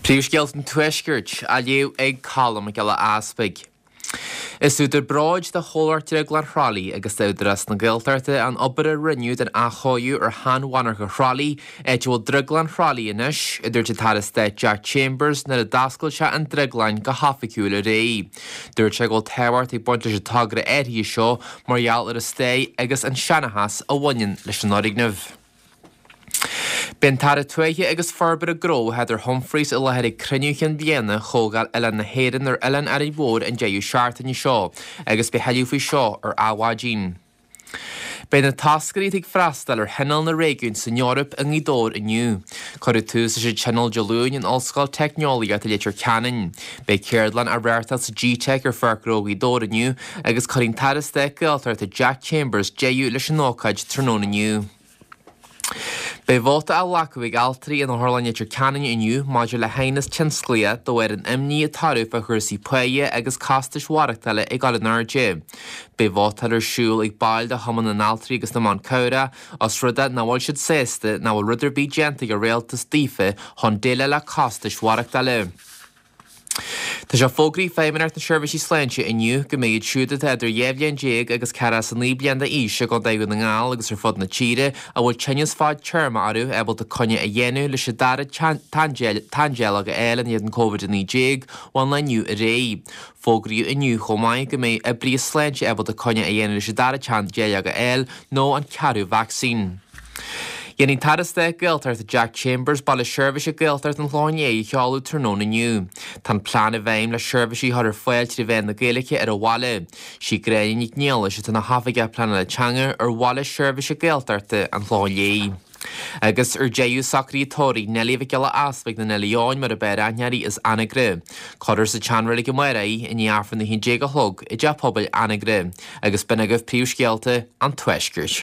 Príomhscéalta an Tuaiscirt á léamh ag Colm Mac Giolla Easpaig. Is údar bróid do Chomhlacht Drioglann Thrá Lí agus d'Údarás na Gaeltachta an obair a rinneadh don athchóiriú ar shean-mhonarcha Thrá Lí, áit a bhfuil Drioglann Thrá Lí anois, a dúirt an tAire Stáit Jack Chambers nuair a d'oscail sé an drioglann go hoifigiúil aréir. Dúirt sé go bhfuil tábhacht ag baint leis an togra áirithe seo mar gheall ar an stair agus an seanchas a bhaineann leis an fhoirgneamh. Beidh an tAire Tuaithe agus Forbartha Gnó, Heather Humphreys, i láthair ag cruinniú chinn bliana Chomhdháil Oileáin na hÉireann ar Oileán Árainn Mhór an deireadh seachtaine seo agus beidh thuilleadh faoi seo ar Adhmhaidin. Beidh na toscairí atá ag freastal ar Thionól na Réigiún san Eoraip i nGaoth Dobhair inniu. Cuireadh tús leis an Tionól Dé Luain in Ollscoil Teicneolaíochta Leitir Ceanainn. Beidh ceardlann á reáchtáil sa G-Teic ar Pháirc Ghnó Ghaoth Dobhair inniu agus cuirfidh an tAire Stáit Gaeltachta Jack Chambers deireadh leis an ócáid tráthnóna inniu. Beidh vóta á ghlacadh ag altraí in Otharlann Leitir Ceanainn inniu maidir le haighneas tionsclaíoch de bharr an imní atá orthu fá chúrsaí páighe agus costais mhaireachtála ag dul in airde. Beidh vótáil ar siúl ag baill de Chumann na nAltraí agus na mBan Cabhrach os rud é nach bhfuil siad sásta nach bhfuil rud ar bith déanta ag an Rialtas daofa chun déileáil le costais mhaireachtála. Tá sé fógraithe ag Feidhmeannacht na Seirbhísí Sláinte inniu go mbeidh iad siúd atá idir 12 bhliain agus 49 bliain d'aois i gContae Dhún na nGall agus ar fud na tíre a bhfuil tinneas fadtéarma orthu ábalta coinne a dhéanamh leis an dara teanndáileog a fháil in éadan Covid-19 ón lá inniu ar aghaidh. Fógraíodh inniu chomh maith go mbeidh oibrithe sláinte ábalta coinne a dhéanamh leis an dara teanndáileog a fháil nó an ceathrú vacsaín. Déanfaidh an tAire Stáit Gaeltachta Jack Chambers Baile Seirbhíse Gaeltachta an Chlocháin Léith a sheoladh tráthnóna inniu. Tá an plean i bhfeidhm le seirbhísí a chur ar fáil trí mheán na Gaeilge ar an bhaile. Sí Gráinne Nic Niallais atá ina hOifigeach Pleanála Teanga ar Bhaile Seirbhíse Gaeltachta an Chlocháin Léith. Agus ar deireadh, socruithe tórraimh Neilí Mhic Giolla Easpaig nó Neilí Eoin mar ab fhearr aithne uirthi as Anagaire. Cuirfear sa tseanreilig amárach í i ndiaidh Aifreann a 11 a chlog i dTeach Pobail Anagaire. Agus b'in agaibh príomhscéalta an Tuaiscirt.